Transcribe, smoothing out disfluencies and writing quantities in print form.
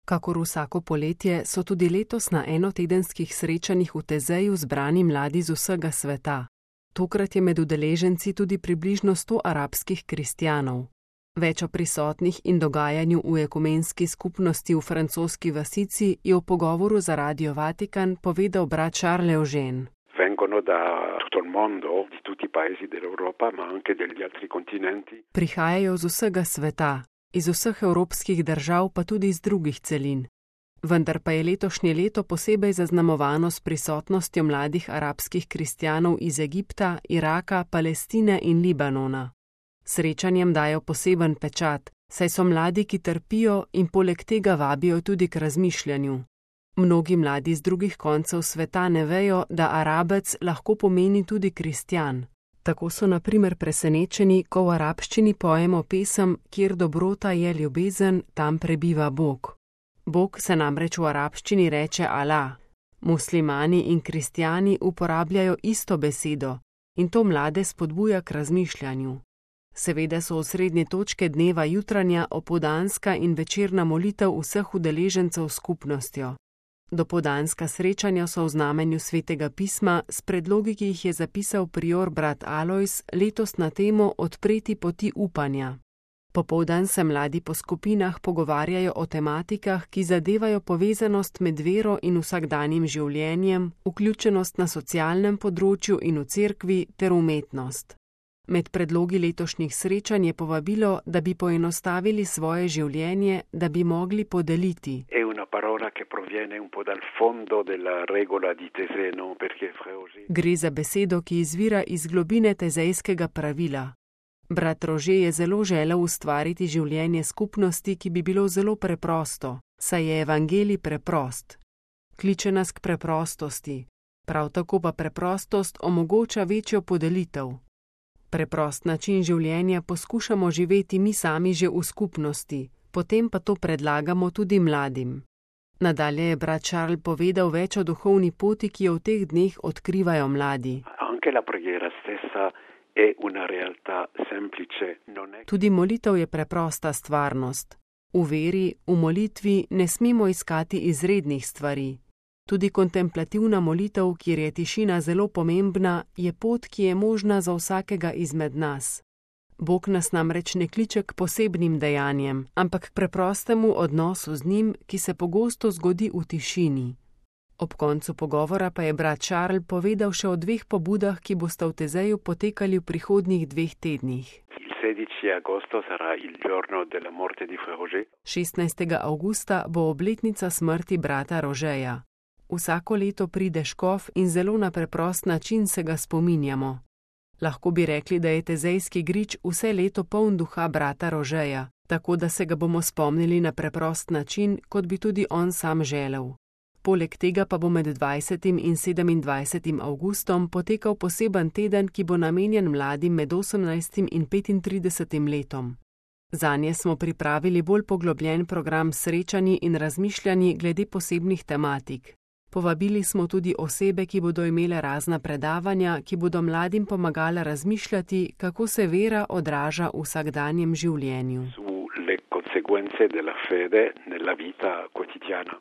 Kakor vsako poletje so tudi letos na enotedenskih srečanjih v Tezeju zbrani mladi z vsega sveta. Tokrat je med udeleženci tudi približno 100 arabskih kristjanov. Več o prisotnih in dogajanju v ekumenski skupnosti v francoski vasici je v pogovoru za Radio Vatikan povedal brat Charles Eugène. Vengono da tutto il mondo, di tutti i paesi dell'Europa, ma anche degli altri continenti. Prihajajo z vsega sveta, iz vseh evropskih držav pa tudi iz drugih celin. Vendar pa je letošnje leto posebej zaznamovano s prisotnostjo mladih arabskih kristjanov iz Egipta, Iraka, Palestine in Libanona. Srečanjem dajo poseben pečat, saj so mladi, ki trpijo in poleg tega vabijo tudi k razmišljanju. Mnogi mladi z drugih koncev sveta ne vejo, da Arabec lahko pomeni tudi kristjan. Tako so na primer presenečeni, ko v arabščini pojemo pesem, kjer dobrota je ljubezen, tam prebiva Bog. Bog se namreč v arabščini reče Allah. Muslimani in kristjani uporabljajo isto besedo in to mlade spodbuja k razmišljanju. Seveda so osrednje točke dneva jutranja, opoldanska in večerna molitev vseh udeležencev s skupnostjo. Dopoldanska srečanja so v znamenju svetega pisma s predlogi, ki jih je zapisal prior brat Alojz, letos na temo Odpreti poti upanja. Popoldan se mladi po skupinah pogovarjajo o tematikah, ki zadevajo povezanost med vero in vsakdanjim življenjem, vključenost na socialnem področju in v cerkvi ter umetnost. Med predlogi letošnjih srečanj je povabilo, da bi poenostavili svoje življenje, da bi mogli podeliti. Gre za besedo, ki izvira iz globine tezejskega pravila. Brat Rože je zelo želel ustvariti življenje skupnosti, ki bi bilo zelo preprosto, saj je evangelij preprost. Kliče nas k preprostosti, prav tako pa preprostost omogoča večjo podelitev. Preprost način življenja poskušamo živeti mi sami že v skupnosti, potem pa to predlagamo tudi mladim. Nadalje je brat Charles povedal več o duhovni poti, ki jo v teh dneh odkrivajo mladi. Tudi molitev je preprosta stvarnost. V veri, v molitvi ne smemo iskati izrednih stvari. Tudi kontemplativna molitev, kjer je tišina zelo pomembna, je pot, ki je možna za vsakega izmed nas. Bog nas namreč ne kliče k posebnim dejanjem, ampak k preprostemu odnosu z njim, ki se pogosto zgodi v tišini. Ob koncu pogovora pa je brat Charles povedal še o 2 pobudah, ki bosta v Tezeju potekali v prihodnjih 2 tednih. 16. avgusta bo obletnica smrti brata Rožeja. Vsako leto pride škof in zelo na preprost način se ga spominjamo. Lahko bi rekli, da je tezejski grič vse leto poln duha brata Rožeja, tako da se ga bomo spomnili na preprost način, kot bi tudi on sam želel. Poleg tega pa bo med 20. in 27. avgustom potekal poseben teden, ki bo namenjen mladim med 18. in 35. letom. Zanje smo pripravili bolj poglobljen program srečanji in razmišljanji glede posebnih tematik. Povabili smo tudi osebe, ki bodo imele razna predavanja, ki bodo mladim pomagala razmišljati, kako se vera odraža v vsakdanjem življenju.